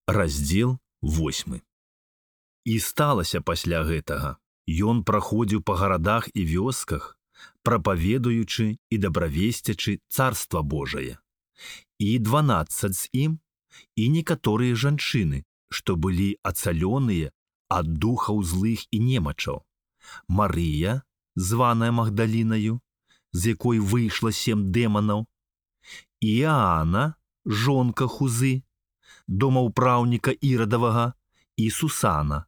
Раздзел 8. І сталася пасля гэтага. Ён праходзіў па гарадах і вёсках, прапаведуючы і дабравесцячы Царства Божае. І 12 з ім, і некаторыя жанчыны, што былі ацалёныя ад духаў злых і немачаў. Марыя, званая Магдалінаю, з якой выйшла 7 дэманаў, і Іаана, жонка Хузы, домаўпраўніка Ірадавага, і Сусана,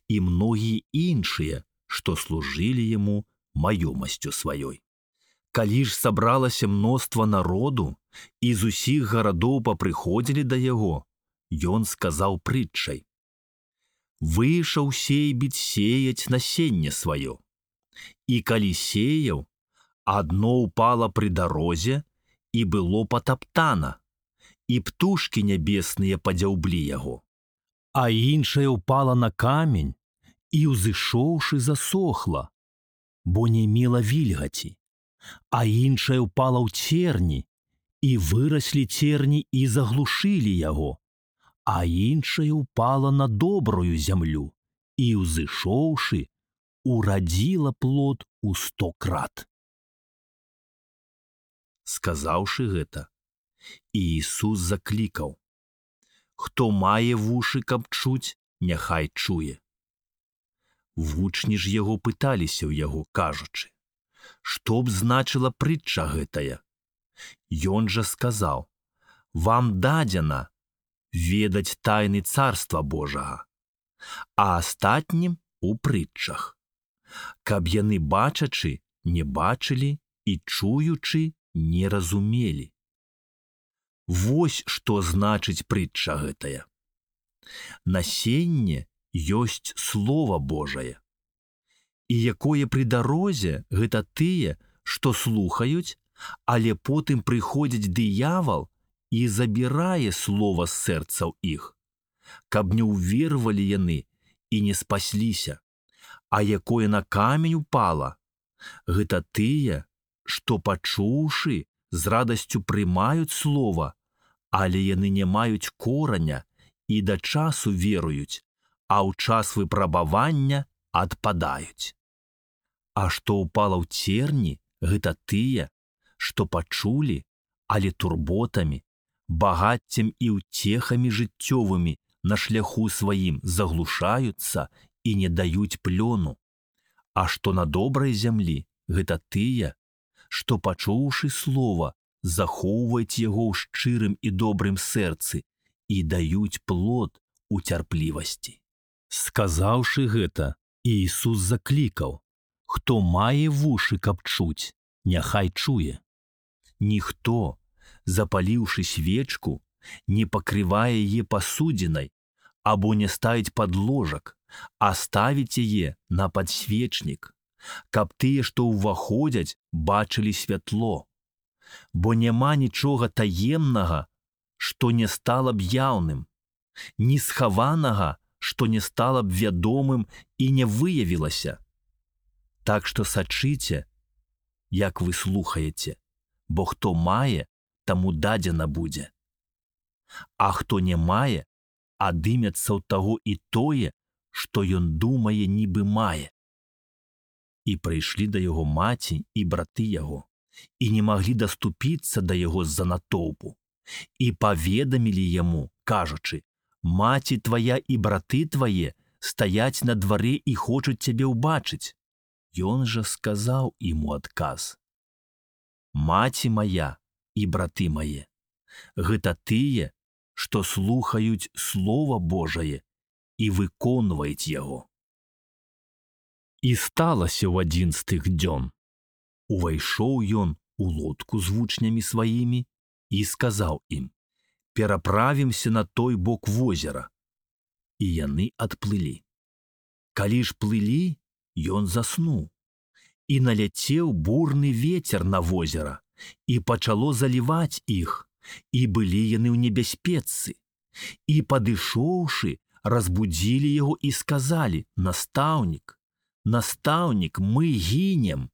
і многія іншыя, што служылі яму маёмасцю сваёй. Калі ж сабралася мноства народу, і з усіх гарадоў папрыходзілі да яго, ён сказаў прытчай: «Выйшаў сейбіць сеяць насенне сваё. І калі сеяў, адно ўпала пры дарозе і было патаптана, і птушкі нябесныя падзяўблі яго. А іншае ўпала на камень і, узышоўшы, засохла, бо не мела вільгаці. А іншае ўпала ў церні, і выраслі церні і заглушылі яго. А іншае ўпала на добрую зямлю і, узышоўшы, урадзіла плод у 100 крат». Сказаўшы гэта, Іісус заклікаў: «Хто мае вушы, каб чуць, няхай чуе». Вучні ж яго пыталіся ў яго, кажучы: «Што б значыла прытча гэтая?» Ён жа сказаў: «Вам дадзена ведаць тайны Царства Божага, а астатнім у прытчах, каб яны, бачачы, не бачылі і чуючы, не разумелі». Вось што значыць прытча гэтая. Насенне ёсць Слова Божае. І якое пры дарозе, гэта тыя, што слухаюць, але потым прыходзіць дыявал і забірае слова з сэрцаў іх, каб не ўвервалі яны і не спасліся. А якое на камень упала, гэта тыя, што, пачуўшы, з радасцю прымаюць слова, але яны не маюць кораня і да часу веруюць, а ў час выпрабавання адпадаюць. А што ўпала ў церні, гэта тыя, што пачулі, але турботамі, багаццем і ўцехамі жыццёвымі на шляху сваім заглушаюцца і не даюць плёну. А што на добрай зямлі, гэта тыя, што, пачуўшы слова, захоўваюць яго ў шчырым і добрым сэрцы і даюць плод у цярплівасці. Сказаўшы гэта, Іісус заклікаў: «Хто мае вушы, каб чуць, няхай чуе». Ніхто, запаліўшы свечку, не пакрывае яе пасудзінай або не ставіць пад ложак, а ставіць яе на падсвечнік, каб тыя, што ўваходзяць, бачылі святло. Бо няма нічога таемнага, што не стала б яўным, ні схаванага, што не стала б вядомым і не выявілася. Так што сачыце, як вы слухаеце, бо хто мае, таму дадзена будзе. А хто не мае, адымецца ў таго і тое, што ён думае, нібы мае». І прыйшлі да яго маці і браты яго, і не маглі даступіцца да яго з-за натоўпу, і паведамілі яму, кажучы: «Маці твая і браты твае стаяць на дварэ і хочуць цябе ўбачыць». Ён жа сказаў ім у адказ: «Маці мая і браты мае, гэта тыя, што слухаюць Слова Божае і выконваюць яго». І сталася ў адзін з тых дзён. Увайшоў ён у лодку з вучнямі сваімі і сказаў ім: «Пераправімся на той бок возера». І яны адплылі. Калі ж плылі, ён заснуў, і наляцеў бурны вецер на возера, і пачало заліваць іх, і былі яны ў небяспецы. І, падышоўшы, разбудзілі яго і сказалі: «Настаўнік, настаўнік, мы гінем».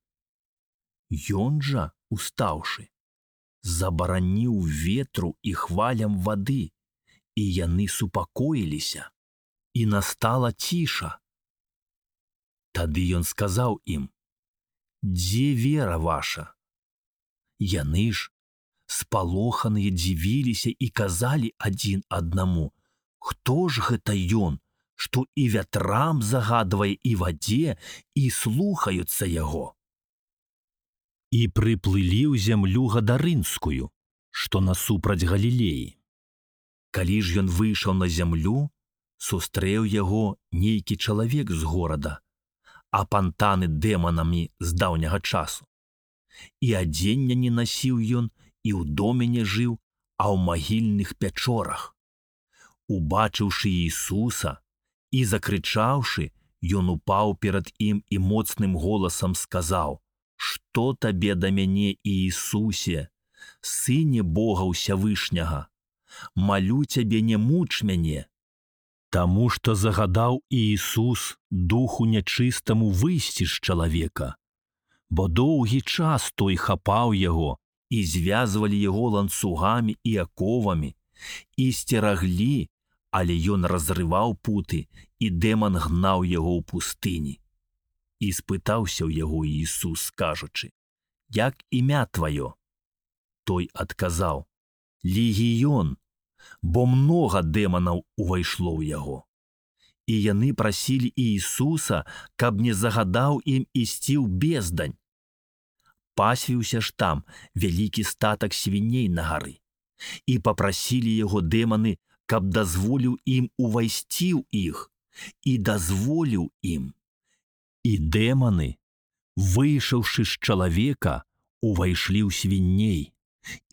Ён жа, устаўшы, забараніў ветру і хвалям вады, і яны супакоіліся, і настала ціша. Тады ён сказаў ім: «Дзе вера ваша?» Яны ж, спалоханыя, дзівіліся і казалі адзін аднаму: «Хто ж гэта ён, што і вятрам загадвае і вадзе, і слухаюцца яго?» І прыплылі ў зямлю гадарынскую, што насупраць Галілеі. Калі ж ён выйшаў на зямлю, сустрэў яго нейкі чалавек з горада, апантаны дэманамі з даўняга часу. І адзення не насіў ён, і ў доме не жыў, а ў магільных пячорах. Убачыўшы Ісуса і закрычаўшы, ён упаў перад ім і моцным голасам сказаў: «Што табе да мяне, Іісусе, Сыне Бога Усявышняга? Малю цябе, не муч мяне». Таму што загадаў Іісус духу нячыстаму выйсці з чалавека, бо доўгі час той хапаў яго, і звязвалі яго ланцугамі і аковамі, і сцераглі, але ён разрываў путы, і дэман гнаў яго ў пустыні. І спытаўся ў яго Ісус, кажучы: «Як імя тваё?» Той адказаў: «Легіён, бо многа дэманаў увайшло ў яго». І яны прасілі Ісуса, каб не загадаў ім ісці ў бездань. Пасвіўся ж там вялікі статак свіней на гары, і папрасілі яго дэманы, каб дазволіў ім увайсці ў іх, і дазволіў ім. І дэманы, выйшаўшы з чалавека, увайшлі ў свіней,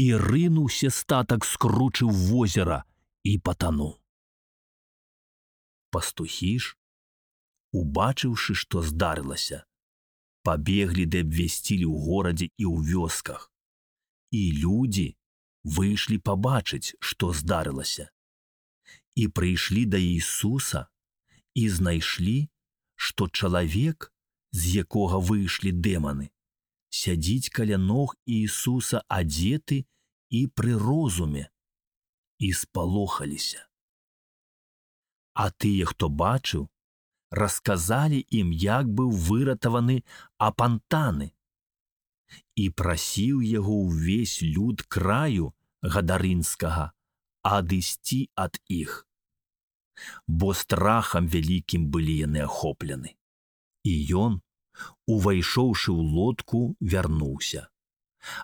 і рынуўся статак, скручыў возера і патануў. Пастухі ж, убачыўшы, што здарылася, пабеглі ды абвясцілі ў горадзе і ў вёсках. І людзі выйшлі пабачыць, што здарылася. І прыйшлі да Ісуса і знайшлі, што чалавек, з якога выйшлі дэманы, сядзіць каля ног Ісуса адзеты і пры розуме, і спалохаліся. А тыя, хто бачыў, расказалі ім, як быў выратаваны апантаны. І прасіў яго ўвесь люд краю гадарынскага адысці ад іх, бо страхам вялікім былі яны ахоплены. І ён, увайшоўшы ў лодку, вярнуўся.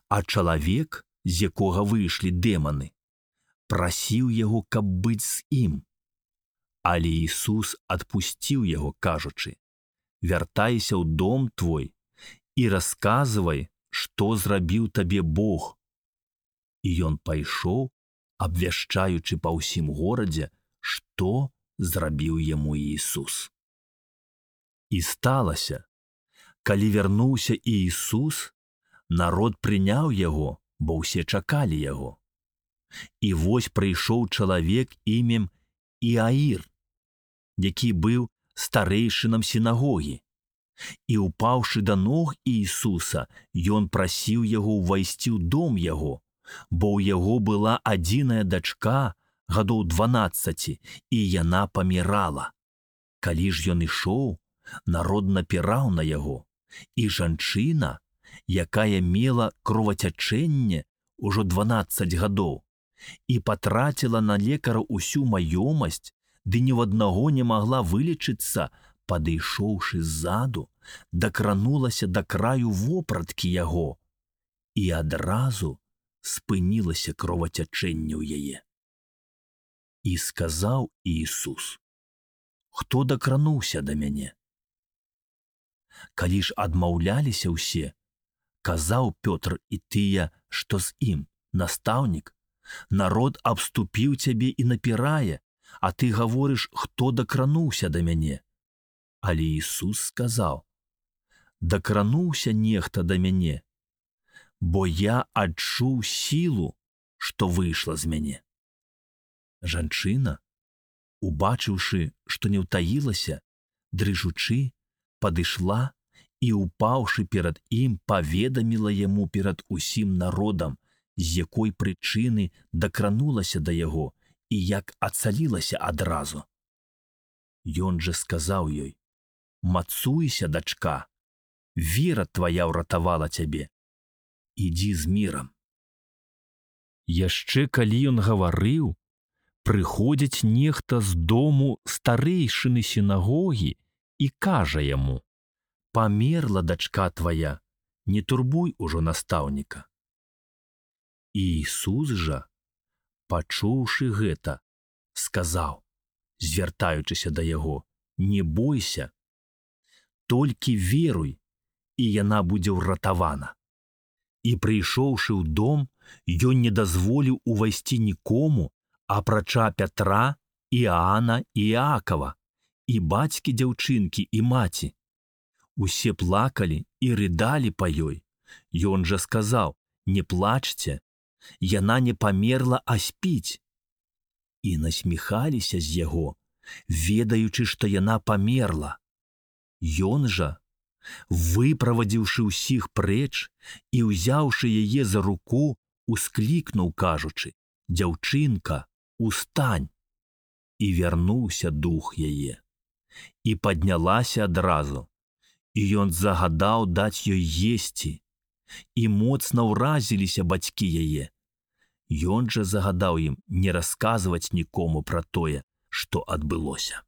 А чалавек, з якога выйшлі дэманы, прасіў яго, каб быць з ім. Але Ісус адпусціў яго, кажучы: «Вяртайся ў дом твой і расказвай, што зрабіў табе Бог». І ён пайшоў, абвяшчаючы па ўсім горадзе, што зрабіў яму Ісус. І сталася, калі вярнуўся Ісус, народ прыняў яго, бо ўсе чакалі яго. І вось прыйшоў чалавек імем Іаір, які быў старэйшынам сінагогі. І, упаўшы да ног Ісуса, ён прасіў яго ўвайсці ў дом яго, бо ў яго была адзіная дачка, гадоў 12, і яна памірала. Калі ж ён ішоў, народ напіраў на яго, і жанчына, якая мела кровацячэнне ўжо 12 гадоў, і патраціла на лекара ўсю маёмасць, ды ні ў аднаго не магла вылечыцца, падышоўшы ззаду, дакранулася да краю вопраткі яго, і адразу спынілася кровацячэнне ў яе. І сказаў Ісус: «Хто дакрануўся да мяне?» Калі ж адмаўляліся ўсе, казаў Пётр і тыя, што з ім: «Настаўнік, народ абступіў цябе і напірае, а ты гаворыш, хто дакрануўся да мяне?» Але Ісус сказаў: «Дакрануўся нехта да мяне, бо я адчуў сілу, што выйшла з мяне». Жанчына, убачыўшы, што не ўтаілася, дрыжучы, падышла і, упаўшы перад ім, паведаміла яму перад усім народам, з якой прычыны дакранулася да яго і як ацалілася адразу. Ён жа сказаў ёй: «Мацуйся, дачка, вера твая ўратавала цябе. Ідзі з мірам». Яшчэ калі ён гаварыў, прыходзіць нехта з дому старэйшыны сінагогі і кажа яму: «Памерла дачка твая, не турбуй ужо настаўніка». І Ісус жа, пачуўшы гэта, сказаў, звяртаючыся да яго: «Не бойся, толькі веруй, і яна будзе ўратавана». І прыйшоўшы ў дом, ён не дазволіў увайсці нікому, апрача Пятра, Іаана і Іакава, і бацькі дзяўчынкі і маці. Усе плакалі і рыдалі па ёй. Ён жа сказаў: «Не плачце, яна не памерла, а спіць». І насміхаліся з яго, ведаючы, што яна памерла. Ён жа, выправадзіўшы ўсіх прэч і ўзяўшы яе за руку, усклікнуў, кажучы: «Дзяўчынка, устань!» І вярнуўся дух яе. І паднялася адразу, і ён загадаў даць ёй есці, і моцна ўразіліся бацькі яе. Ён жа загадаў ім не расказваць нікому пра тое, што адбылося.